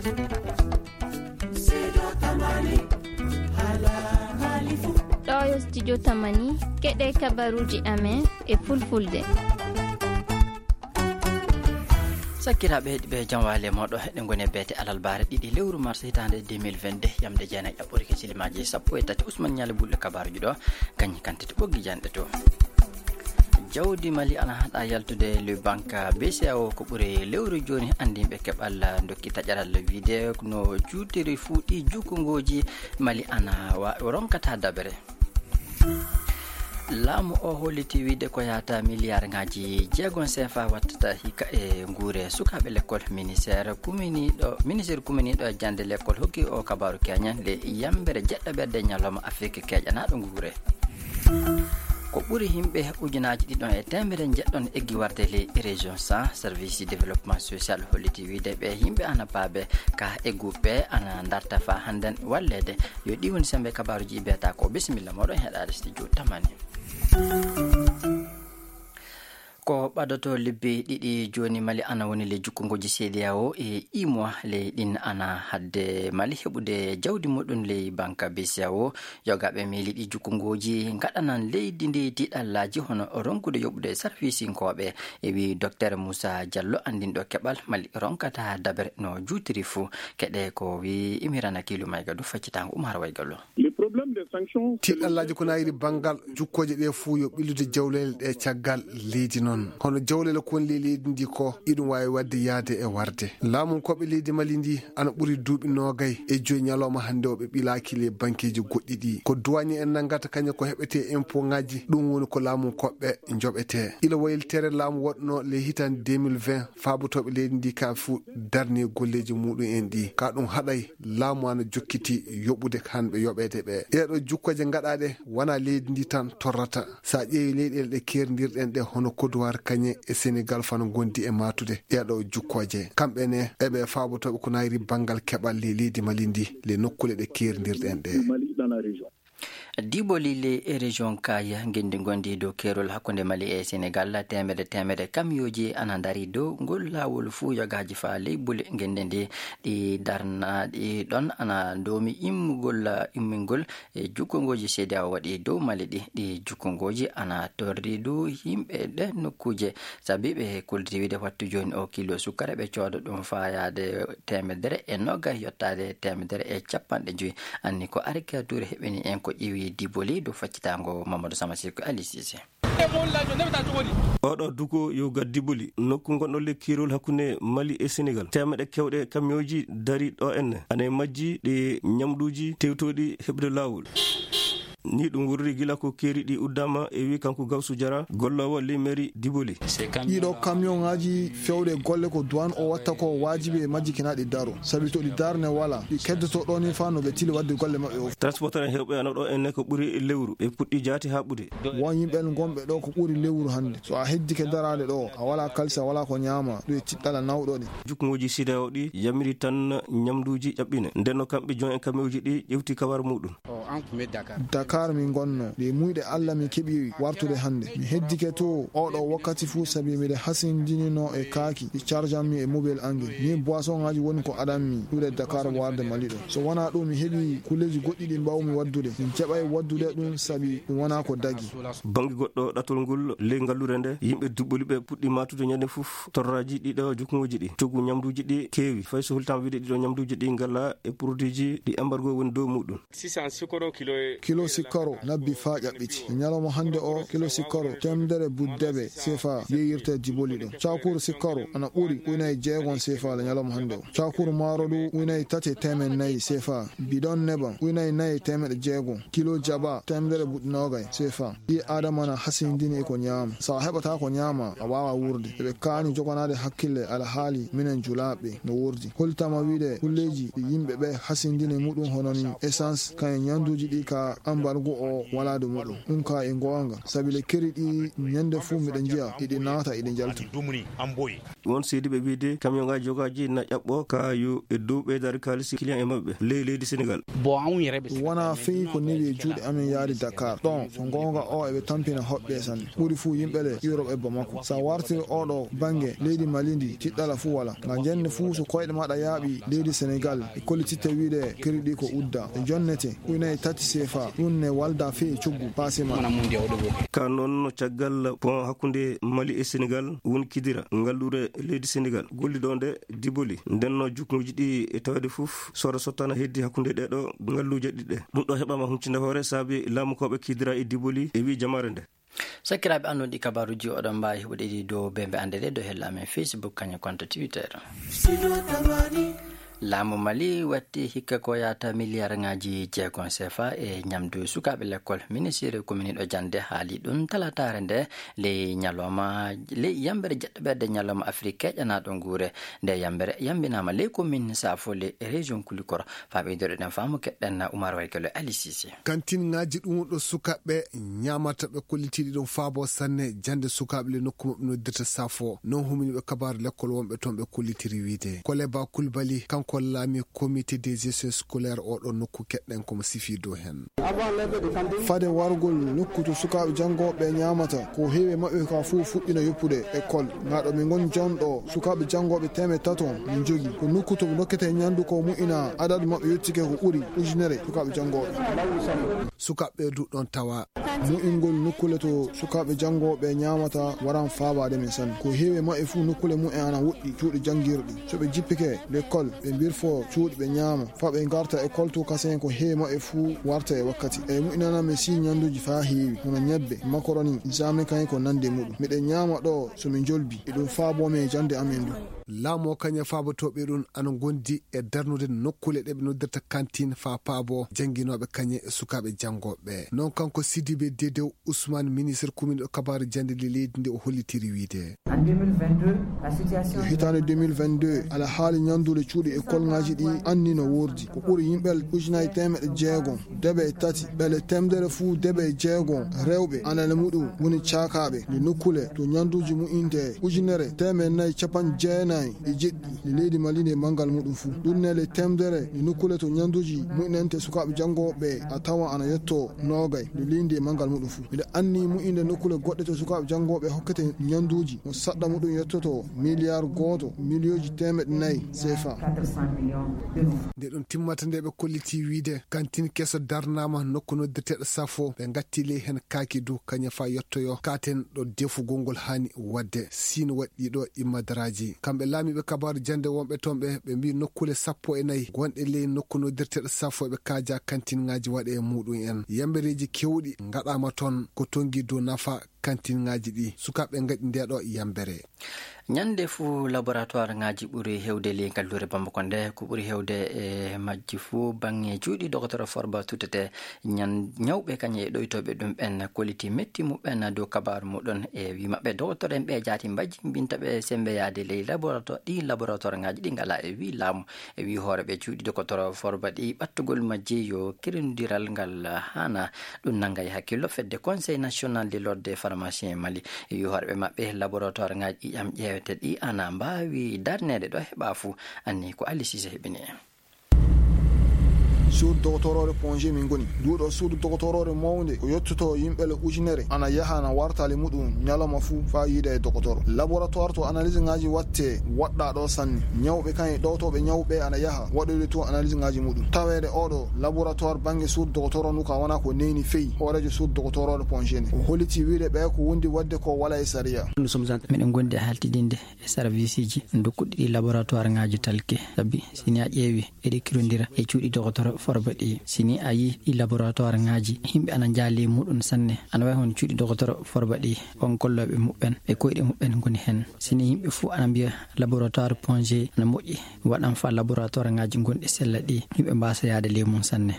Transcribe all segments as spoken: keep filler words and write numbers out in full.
Ɗo yo studio Tamani, keɗe kabaruuji amen e fulfulde. Sakkiraaɓe heɗiiɓe, jam waali e mooɗon. Eɗen ngoni e beete alarbaare ɗiɗi lewru mars hitaande deux mille vingt-deux, yamde jeenayi ɗaɓɓoyde simmaji sappo e tati. Ousmane Nialy Bulɗo kabaaruuji ɗo, kañum kantite ɓoggi janɗe to. Jawdi Mali ana haɗa yaltude le banque B C E A O ko ɓuri lewru jooni. Anndinɓe keɓal ndokki taƴaral wiide no juutiri fuu ɗi jukkungooji Mali ana wa-, ronkata dabere. Laamu o holliti wiide ko yahata miliyaar ngaaji jeegom C F A wattata hikka e nguure sukaaɓe lekkol. Ministeer kuminiiɗo, ministeer kuminiiɗo e jannde lekkol hokki o kabaaru keñen le yambere jeɗɗaɓerde ñalawma Afrik keƴanaaɗo nguure. Ko ɓuri yimɓe ujunaaji ɗiɗon e teemedere njeɗɗon eggi warde ley région cent. Service développement social holliti wiide ɓe yimɓe ana paabe ka egguɓe ana darta faa hannden walleede. Yo ɗi woni semmbe kabaaruuji biyata ko. Bisimilla mooɗon heɗaade studio Tamani. Ko ɓadotoo lebbi ɗiɗi jooni Mali ana woni ley jukkungooji C D A O e imowa ley ɗin ana hadde Mali heɓude jawdi muɗum ley banque B C A O. Yogaaɓe miili ɗi jukkungooji ngaɗanan leydi ndi tiiɗallaaji hono ronkude yoɓude sarfisinkooɓe, e wi Docteur Moussa Diallo, anndinɗo keɓal Mali ronkata dabere no juutiri fuu. Keɗe ko wi Imirana Kilu Mayga du faccitaango Umar Waygallo. Le problème des sanctions, c'est le tiiɗallaaji ko nayiri banngal jukkooje ɗe fuu yo ɓillude jawleele ɗe caggal leydi noon. Hono jawleele ko woni ley leydi ndi ko iɗum waawi waɗde yahde e warde. Laamunkooɓe leydi Mali ndi ana ɓuri duuɓi noogay e joyi ñalawma hannde o ɓe ɓilaaki le bankeeji goɗɗi ɗi. Ko duwaañe en nanngata kañum ko heɓetee impôt ŋaaji, ɗum woni ko laamunkooɓe njoɓetee. Ila waylitere laamu waɗno le hitaande deux mille vingt, faabotooɓe leydi ndi ka fuu darni golleeji muɗum en ɗi. Ka ɗum haɗay laamu ana jokkiti yoɓude hannde yoɓeede ɓe. Ɗeeɗo jukkooje ngaɗaaɗe wona leydi ndi tan torrata. So a ƴeewi leyɗeele ɗe keerindirɗen ɗe hono Côte d'Ivoire kañe e Sénégal fana ngondi e matude ɗeeɗo jukkooje. Kamɓe ne eɓe faabotooɓe ko nayri banngal keɓal ley leydi Mali ndi le nokkuule ɗe keerindirɗen ɗe. Diboli ley région Kaya, ngenndi ngondi dow keerol hakkunde Mali e Sénégal, teemedere teemedere kamiyooji ana ndari dow ngol laawol fuu yogaaji faa ley bule ngenndi ndi. Ɗi darnaaɗi ɗon ana ndoomi immugol, immingol e jukkungooji C D A O waɗi dow Mali ɗi. Ɗi jukkungooji ana torri du yimɓe ɗe nokkuuje, sabi ɓe kuldiri wiide wattu jooni o kilo sukkara ɓe cooda ɗum faayaade teemedere e nogas yottaade teemedere e capanɗe joyi. Anni ko Arika Touré heɓini en ko ƴeewi Diboli dow faccitaango Mamadou Samasiko Ali Cissé. Oɗo duko yo gaddi boli nokku gonɗo le kiirol hakkunde Mali e Sénégal. Teemeɗe kewɗe kamiyooji dari ɗo enne. Ana e majji ɗi ñamɗuuji tewtooɗi heɓde laawol. Ni ɗum wurri gila ko keeri ɗi uddama e wi kanko Gawsu Jara, golloowo le mairie Diboli. Ɗiɗo kamiyonŋaaji fewɗe golle ko duwan o watta ko waajibi e majji kina ɗi daro. Sabi to ɗi darne wala, ɗi keddoto ɗo ni faa no ɓe tili waɗde golle maɓɓe o. Transporteur en heewɓe ana ɗo enne ko ɓuri lewru. Ɓe puɗɗi jaati haa ɓude. Won yimɓe gonɓe ɗo ko ɓuri lewru hannde. So a heddike daraade ɗo, a wala kalisa, a wala ko ñaama, ɗum e tiɗɗala nawɗo ɗi. Jukngooji C D A O ɗi yamiri tan ñamduuji ƴaɓɓine. Nden no kamɓe jon en kamiyooji ɗi ƴewti kawar muɗum. Dakar min gonno. Ɗe muyɗe Alla min keɓi wartude hannde. Mi heddike to oɗo wakkati fuu sabi miɗe hasindinino e kaaki ɗi charge ammi e mobile ange. Min boisson ŋaaji woni ko adanmi ɗuuɗe Dakar warde Mali ɗo. So wonaa ɗum mi heɓi kulleeji goɗɗi ɗi mbaawmi waddude. Min keɓay waddude ɗum sabi ɗum wonaa ko dagi. Bannge goɗɗo ɗatol ngol ley ngalluure nde, yimɓe Diboli ɓe puɗɗi matude ñande fof torraaji ɗiɗo jukngooji ɗi. Coggu ñamduuji ɗi keewi. Fay so hultaama wiide ɗiɗo ñamduuji ɗi ngala e produitji ɗi embargo woni dow muɗum. Kilo sikkoro nabbi faa ƴaɓɓiti. E ñalawma hannde o, kilo sikkoro teemedere buddeɓe C F A yeeyirte Diboli ɗo. Cakuru sikkoro ana ɓuri ujunnaaji jeegom C F A le ñalawma hannde o. Cakuru maaro du ujunnaaji tati e teemeɗɗe nayi C F A. Bidon nebam ujunnaaji nayi e teemeɗɗe jeegom. Kilo jaba teemedere buɗɗi noogay C F A. Ɓii Aadama na hasindini e ko ñaama. So a heɓataa ko ñaama, a waawaa wuurde. Eɓe kaani joganaade hakkille alhaali minen julaaɓe no wuurdi. Hollitaama wiide kulleeji ɗi yimɓe ɓe hasindini muɗum hono ni essence, kañum ñamduuji ɗi ka embargo. Ngu o walaa dow muɗum. Ɗum ka e ngoonga, sabi le keri ɗi ñande fuu miɗo njiya, iɗi naata, iɗi njalta. Won seediiɓe wiide, kamiyonŋaaji jogaaji na ƴaɓɓo kaayu e dow ɓeydaari kaalisi kiliyan e maɓɓe ley leydi Senegal. Wonaa fey ko newi e juuɗe amen yaade Dakar. Ɗon, so ngoonga o eɓe tampina hoɓɓe sanne. Ɓuri fuu yimɓe le Europe e Bamako. Sa wartiri oɗo bannge leydi Mali ndi, tiɗɗala fuu wala. Nga jenne fuu so koyɗe maɗa yaaɓi leydi Senegal, e kollititte wiide keri ɗi ko udda. E jonnete, ujunere tati C F A, ɗum ne walda fey e coggu paase ma. Ka noon, caggal pont hakkunde Mali e Senegal, woni Kidira, ngalluure leydi Senegal, golliɗo nde Diboli. Nden no jukkuuji ɗi e tawde fof, sooda sottana heddi hakkunde ɗeɗo ngalluuje ɗiɗe. Ɗum ɗo heɓama huncinde hoore saabi laamukooɓe Kidira e Diboli e wi jamaare nde. Sakiraaɓe annduɗi kabaruuji oɗon mbaawi heɓude ɗi dow bembe annde ɗe dow hella amen Facebook, kañum konto Twitter. Laamu Mali watti hikka ko yahata miliyaarŋaaji jeegom C F A e ñamdu sukaaɓe lekkol. Ministiri kominiiɗo jannde haali ɗum talataare nde ley ñalawma, ley yambere jeɗɗoɓerde ñalawma Afrik keƴanaaɗo nguure. Nde yambere yambinaama ley komin Safo ley région Kulikoro. Faa ɓeydoriɗen faamu keɗɗen Umar Waykelo Ali Sise. Kantinŋaaji ɗum ɗo sukaaɓe ñaamata ɓe kollitiiɗi ɗum faabo sanne jannde sukaaɓe le nokku maɓɓe noddirta Safo. Non humini ɓe kabaaru lekkol wonɓe toon ɓe kollitiri wiide. Koleba Kulbali, kanko laami comité de gestion scolaire oɗo nokku keɗɗen komo sifi dow heen. Fade wargol nokku to sukaaɓe janngooɓe ñaamata, ko heewi e maɓɓe ka fof fuɗɗino yoppude école. Ŋaa ɗo min ngoni jonɗo, sukaaɓe janngooɓe teemeɗɗe tato min njogi. Ko nokku to ɓe ndokkete ñanndu ko mu'ina, adadu maɓɓe yottike ko ɓuri ujunere sukaaɓe janngooɓe. Sukaaɓe du ɗon tawa. Mu'ingol nokkule to sukaaɓe janngooɓe ñaamata waran faabaade min sanne. Ko heewi e maɓɓe fuu nokkule mu'en ana woɗɗi, cuuɗi janngirɗi. So ɓe jippike l'école, ɓe mbirfo cuuɗi ɓe ñaama. Faa ɓe ngarta école to kasen ko heewi maɓɓe fuu warta e wakkati. E mu'inana mi sii ñannduuji faa heewi, hono ñebbe, makaroni, jaame kaŋŋe ko nanndi e muɗum. Miɗen ñaama ɗo so mi njolbi, e ɗum faaboo mi e jannde amen ndu. Laamu o kañum e faabotooɓe ɗum ana ngondi e darnude nokkule ɗe ɓe noddirta kantin faa paaboo jannginooɓe kañum e sukaaɓe janngooɓe. Non kanko Sidibe Dedew Usman, ministre kominiiɗo kabaaru jannde ley leydi ndi, o hollitiri wiide. Hitaande deux mille vingt-deux, alhaali ñanndude cuuɗi e kolŋaaji ɗi anni no woordi. Ko ɓuri yimɓe ujunaaji teemeɗɗe jeegom, debe e tati, ɓe le teemedere fuu debe e jeegom rewɓe, ana le muɗum woni caakaaɓe. Nde nokkule to ñannduuji mu'inte ujunere teemeɗɗe nayi capanɗe jeenayi e jeɗɗi nde leydi Mali nde manngal muɗum fuu. Ɗum ne le teemedere nde nokkule to ñannduuji mu'inante sukaaɓe janngooɓe a tawa ana yetto noogay nde leydi nde manngal muɗum fuu. Miɗo anni mu'inde nokkule goɗɗe to sukaaɓe janngooɓe hokkete ñannduuji mo saɗɗa muɗum yettoto miliyaar gooto miliyooji teemeɗɗe nayi C F A. Nde ɗum timmata nde ɓe kolliti wiide kantin keso darnaama nokku noddeteeɗo Safo, ɓe ngatti ley heen kaaki du kañum faa yettoyo katen ɗo defugol ngol haani waɗde. Siin waɗi ɗo immadaraaji. Kamɓe laamiiɓe kabaaru jannde wonɓe toon ɓe, ɓe mbii nokkule sappo e nayi gonɗe ley nokku noddirteeɗo Safo ɓe kaaja kantinŋaaji waɗe e muɗum en. Yambereeji keewɗi ngaɗaama toon ko tonngi dow nafa kantinŋaaji ɗi. Sukaaɓe ngaɗi nde ɗo yambere. Ñande fuu laboratoire ŋaaji ɓuri heewde ley ngalluure Bamako nde, ko ɓuri heewde e majji fuu baŋŋe cuuɗi dogotoro Forba tuttete. Ñan-, ñawɓe kañum e ɗoytooɓe ɗum ɓen kolliti metti muɓɓen dow kabaaru muɗum e wii maɓɓe dogotoro en ɓe jaati mbajjimbinta ɓe sembeyaade ley laboratoire, ɗi laboratoire ŋaaji ɗi ngalaa e wii laamu. E wii hooreeɓe cuuɗi dogotoro Forba ɗi ɓattugol majji yo kirindiral ngal haana ɗum nannga e hakkillo. Fedde Conseil National de l'Ordre des Pharmaciens Mali e wii hooreeɓe maɓɓe laboratoire ŋaaji ɗi ƴam ƴeewete ɗi ana mbaawi darneede ɗo heɓa fuu. Anni ko Ali Sise heɓini en. Suudu dogotoroore Ponge min ngoni. Nduuɗo suudu dogotoroore mawnde ko yottoto yimɓe le ujunere ana yaha ana warta le muɗum ñalawma fuu faa yiida e dogotoro. Laboratoire to analyse ŋaaji watte waɗɗa ɗo sanne. Ñawɓe kañum e ɗowtooɓe ñawɓe ana yaha waɗoyde to analyse ŋaaji muɗum. Taweede oɗo laboratoire baŋŋe suudu dogotoro ndu ka wona ko neyni feyi hooreejo suudu dogotoroore Ponge nde. O holliti wiide ɓe ko wondi waɗde ko wala e sariya. Miɗen ngondi e haltidinde e service ji dokkuɗi ɗi laboratoire ŋaaji talke. Sabi si ni a ƴeewi eɗi kirondira e cuuɗi dogotoro Forba ɗi. Si ni a yii ɗi laboratoire ŋaaji, yimɓe ana njaali e muɗum sanne. Ana wayi hono cuuɗi dogotoro Forba ɗi, on gollooɓe muɓɓen e koyɗe muɓɓen ngoni heen. Si ni yimɓe fuu ana mbiya laboratoire Ponge ana moƴƴi, waɗan faa laboratoire ŋaaji gonɗi sella ɗi, yimɓe mbaasa yaade ley mum sanne.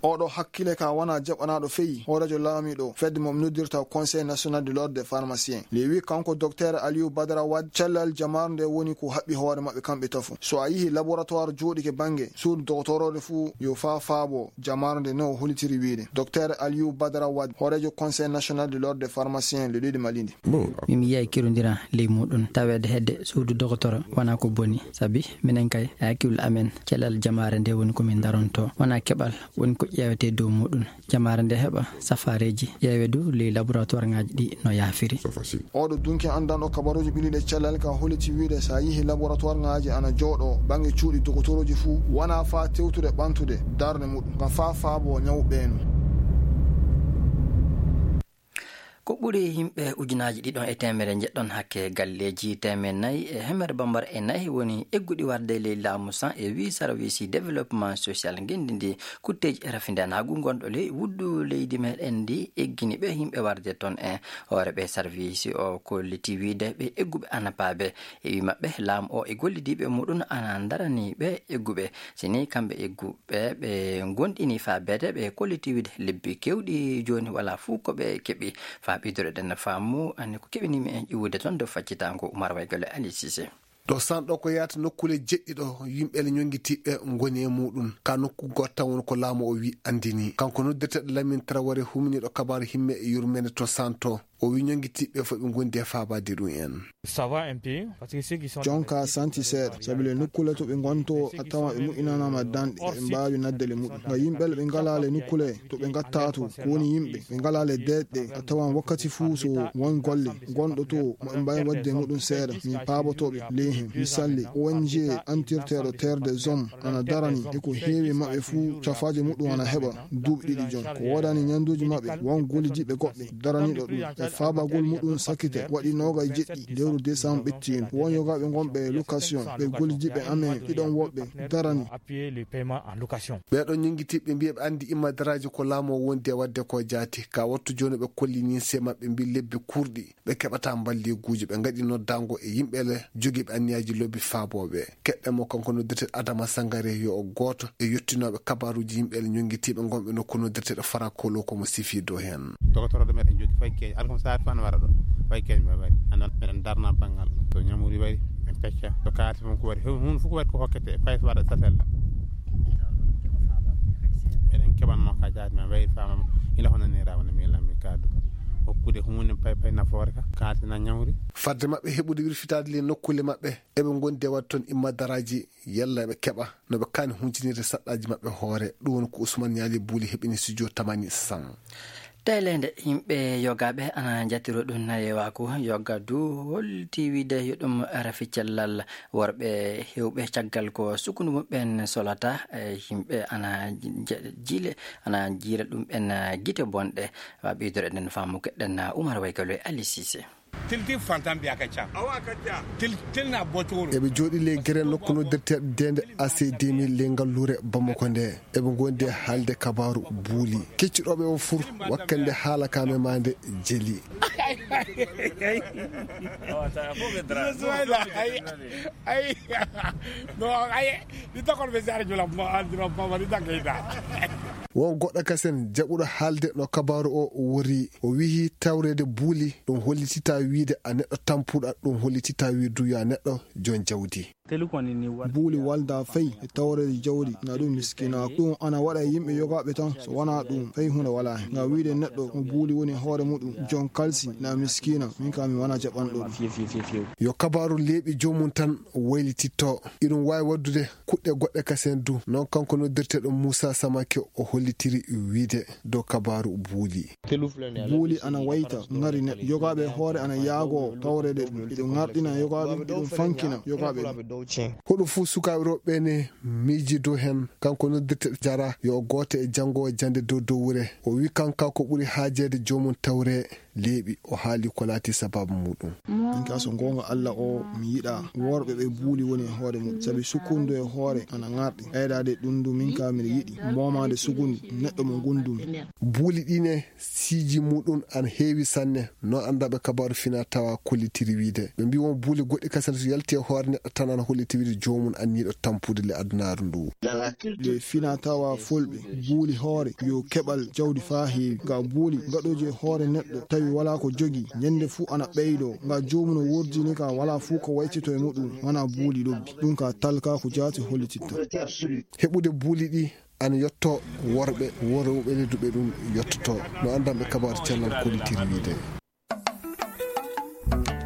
Oɗo hakkile ka wona jaɓanaaɗo feyi hooreejo laamiiɗo fedde mo noddirta Conseil National de l'Ordre des Pharmaciens. Le wi kanko Docteur Aliou Badara Wade, cellal jamaare nde woni ko haɓɓi hoore maɓɓe kamɓe tafo. So a yihi laboratoire jooɗike baŋŋe suudu dogotoroore fuu, Yo faa faabo jamaare nde, no o holitiri wiyde. Docteur Aliou Badara Wade, hooreejo Conseil National de l'Ordre des Pharmaciens, le ɗiɗi Malindi. Min mi yiyaay kerondira ley muɗum taweede hedde suudu dogotoro wonaa ko boni, sabi minen kay e hakkille amen cellal jamaare nde woni ko min daronto, wonaa keɓal woni ko ƴeewetee dow muɗum. Jamaare nde heɓa safaareeji, ƴeewe du ley laboratoire ŋaaji ɗi no yaafiri. Oɗo dunki anndanɗo kabaruuji ɓilliiɗe cellal ka holiti wiyde so a yihi laboratoire ŋaaji ana jooɗo bannge cuuɗi dogotorooji fuu, wonaa faa tewtude ɓantude darnde muɗum, ngam faa faabo ñaw ɓeenu. Ko ɓuri yimɓe ujunaaji ɗiɗon e teemere njeɗɗon hakke galleeji teemere nayi e hemere bambara e nayi woni egguɗi warde ley laamu san e wi sarwisi développement social ngenndi ndi. Kutteeji e rafindanaagu ngonɗo ley wuddu leydi meɗen ndi eggini ɓe yimɓe warde toon e hoore ɓe sarwisi o kolliti wiyde ɓe egguɓe ana paabe. E wi maɓɓe laamu o e gollidiiɓe muɗum ana ndarani ɓe egguɓe. Si ni kamɓe egguɓe ɓe ngonɗini faabeede ɓe kolliti wiyde lebbi kewɗi jooni wala fuu ko ɓe keɓi. Faa ɓeydureɗen faamu anni ko keɓinimi en ƴiwude toon dow faccitaango Umar Waygale Ali Sise. Ɗo sanɗo ko yahata nokkuule jeɗɗi ɗo yimɓe le ñonngitiiɓe ngoni e muɗum. Ka nokku gooto tan woni ko laamu o wi anndini. Kanko noddirteeɗo Lamine Traoré huminiiɗo kabaaru himme e yurmeende to santo. O wi ñonngitiiɓe fof ɓe ngondi e faabaade ɗum en. Ça va un peu, parce que ceux qui sont Jonka santi seeɗa, sabi le nokkuule to ɓe ngonto a tawa ɓe moƴƴinanaama danɗe, ɓe mbaawi nadde le muɗum. Nga yimɓe le ɓe ngalaa le nokkuule to ɓe ngatta to, ko woni yimɓe ɓe ngalaa le deeƴɗe, a tawan wakkati fuu so won golle gonɗo to mo ɓe mbaawi waɗde e muɗum seeɗa, min paabotooɓe ley hen. Misalli, O N G antirteeɗo Terre des Hommes ana darani e ko heewi maɓɓe fuu cafaaje muɗum ana heɓa duuɓi ɗiɗi jom. Ko woodani ñannduuji maɓɓe, won gollidiiɓe goɗɓe daraniiɗo ɗum. E faabagol muɗum sakkite waɗi noogay jeɗɗi lewru décembre ɓettiindu. Won yogaaɓe ngonɓe location, ɓe gollidiiɓe amen ɗiɗon woɓɓe darani. Appuyer les paiements en location. Ɓeeɗo ñonngitiiɓe mbiya ɓe anndi imma daraaji ko laamu o wondi e waɗde ko jaati. Ka wattu jooni ɓe kolli ninse maɓɓe mbi lebbi kurɗi ɓe keɓata mballiiguuji. Ɓe ngaɗi noddaango e yimɓe le jogiiɓe anniyaaji lobbi faabooɓe. Keɗɗen mo kanko noddirteeɗo Adama Sangare yo o gooto e yottinooɓe kabaaruuji yimɓe le ñonngitiiɓe ngonɓe nokku noddirteeɗo Farakolo ko mo sifi dow heen. Dogotoro ɗo meɗen jogii fay keeñ, alkam saati fof ana wara ɗo. Fay keeñ ɓe waɗi. Anndon meɗen darna banngal ɗo. So ñamuri waɗi, en pecca. So kaarti fof ko waɗi, huunde fof ko waɗi ko hokkete, fay so waɗa satel. Eɗen keɓanno ka jaati men wayri faamama ila hono nira wona mi lammi kaddu. Hokkude huunde pay pay nafoore ka, kaarti na ñamri. Fadde maɓɓe heɓude wirfitaade le nokkuule maɓɓe, eɓe ngondi e waɗde toon imma daraaji, yalla eɓe keɓa no ɓe kaani huncinirde saɗɗaaji maɓɓe hoore. Ɗum woni ko Ousmane Ñaali Buuli heɓini studio Tamani San. Teeleende yimɓe yogaaɓe ana njatiro ɗum nayewaako yoga du holti wiide yo ɗum rafi cellal worɓe heewɓe caggal ko sukundu muɓɓen solata e yimɓe ana je- jiile ana jiira ɗum ɓen gite bonɗe. Wa ɓeydore ɗen faamu keɗɗen Umar Waykalo e Ali Sise. Tilti fantan biya ka ca. Awa ka ca. Til til na botoro. Eɓe jooɗi ley gere nokku noddirteeɗo deende A C deux mille ley ngalluure Bamako nde. Eɓe ngondi e haalde kabaaru buuli. Kecciɗooɓe o fur wakkande haala ka memaande jeli. Ay, ay. No, ay. Ni takol be sare jula ma, jula ma, ni takayta. Won goɗɗo kasen jaɓuɗo haalde no kabaaru o wori. O wihi tawreede buuli, ɗum hollititaa wiide a neɗɗo tampuɗo, ɗum hollititaa wiide du yo a neɗɗo jon jawdi. Buuli walda fay e tawreede jawdi, na ɗum miskinaaku. Ɗum ana waɗa e yimɓe yogaaɓe tan, so wonaa ɗum, fay huunde walaa hen. Ngam wiide neɗɗo mo buuli woni hoore muɗum, jon kalsi, na miskiina, min kam mi wonaa jaɓanɗo ɗum. Yo kabaaru leeɓi joomum tan waylititto. Iɗum waawi waɗdude kuɗɗe goɗɗe kasen du. Noon kanko noddirteeɗo Muusa Samake o hollitiri wiide dow kabaaru buuli. Buuli ana wayta ŋari neɗɗo. Yogaaɓe e hoore ana yaagoo tawreede ɗum. Iɗum ŋarɗina yogaaɓe, iɗum fankina yogaaɓe ɗum. Hoɗum fuu sukaaɓe rewɓe ɓee ne miiji dow heen. Kanko noddirteeɗo Jara yo o gooto e janngoowo jannde dow dowre. O wi'i kanko ko ɓuri haajeede joomum tawre leeɓi. O haali ko laati sabaabu muɗum. Min ka so goonga Alla o mi yiɗaa worɓe ɓe buuli woni e hoore mum. Sabi sukkundu e hoore ana ŋarɗi. Ɓeydaade ɗum du min ka miɗo yiɗi. Moomaade sukundu neɗɗo mo ngondumi. Buuli ɗi ne siiji muɗum ana heewi sanne. Noon anndaɓe kabaaru fina tawa kollitiri wiide. Ɓe mbi won buuli goɗɗi kasen so yalti e hoore neɗɗo tan ana holliti wiide joomum anniiɗo tampude le adunaaru ndu. Le fina tawa fulɓe buuli hoore yo keɓal jawdi faa heewi. Nga buuli gaɗooji e hoore neɗɗo tawi walaa ko jogi. Ñande fuu ana ɓeydoo. Nga joomum no wordini ka walaa fuu ko waytito e muɗum. Wonaa buuli lobbi. Ɗum ka talka ko jaati hollititta. Heɓude buuli ɗi Ana yetto worɓe, worɓe ɓe ledduɓe ɗum yettoto. No anndanɓe kabaru cellal kollitiri wiide.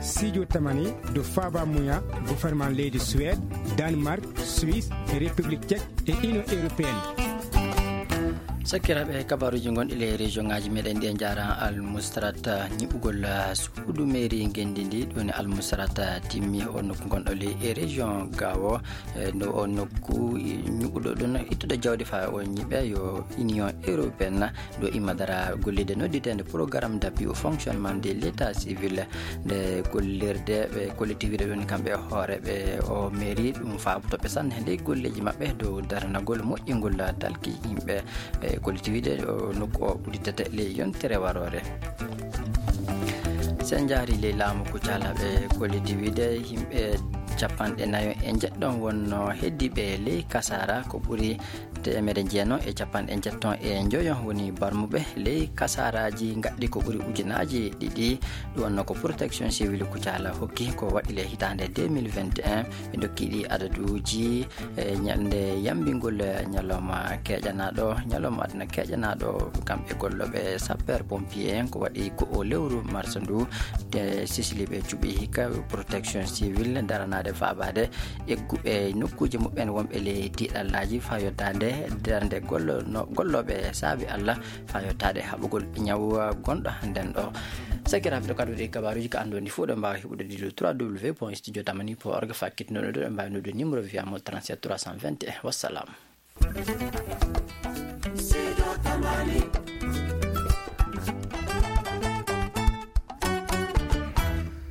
Sijo tamani do faba muya gouvernement leydi Suède, Danemark, Suisse, République Tchèque et Union Européenne. Sakkiraaɓe, kabaruuji gonɗi le région ngaji meɗen ɗi, en jaara almustarata ñiɓugol suudu mairie ngendi ndi. Ɗoni almustarata timmi o nokku gonɗo le e région gawo. E, no o nokku ñuɓuɗo ɗon ittude jawdi fa o ñiɓe yo Union Européenne do imma dara gollide nodditende programme d'appui au fonctionnement de l'état civil. Nde gollirde ɓe collectivité ɗon kamɓe e hoore ɓe o mairie ɗum faabutoɓe sanne nde golleji maɓɓe dow daranagol moƴƴingol talki yimɓe. E, collectivité o nokku o udditete ley yontere warore. Sen jaari ley laamu Kucala ɓe collectivité yimɓe capanɗe nayo e njeɗɗon wonno heddi ɓe ley kasara ko ɓuri teemere jeenayo e capanɗe njeɗɗon e njoyo woni barmuɓe ley kasaraji gaɗɗi ko ɓuri ujunaji ɗiɗi. Ɗum wonno ko protection civil Kucala hokki ko waɗi le hitande deux mille vingt et un. Ɓe dokki ɗi adaduji e ñande yambingol ñalawma keƴanaɗo, ñalawma aduna keƴanaɗo kamɓe golloɓe sapeur pompier en ko waɗi ko o lewru marsa ndu. Te sisiliɓe cuɓi hikka protection civil daranade faabade egguɓe nokkuji muɓɓen wonɓe le tiɗallaji fa yottade darde gollo- no- golloɓe saabi Allah fa yottade haɓugol ñaw gonɗo hannden ɗo. Sakiraɓe ɗo kadi waɗi kabaruji ka andu ndi fof ɗo mbawa heɓude ɗiɗo trois w point studio tamani point org fakkitinoɗo ɗo ɗo mbawi noddu numéro via mo trente-sept trois cent vingt et un. Wassalam.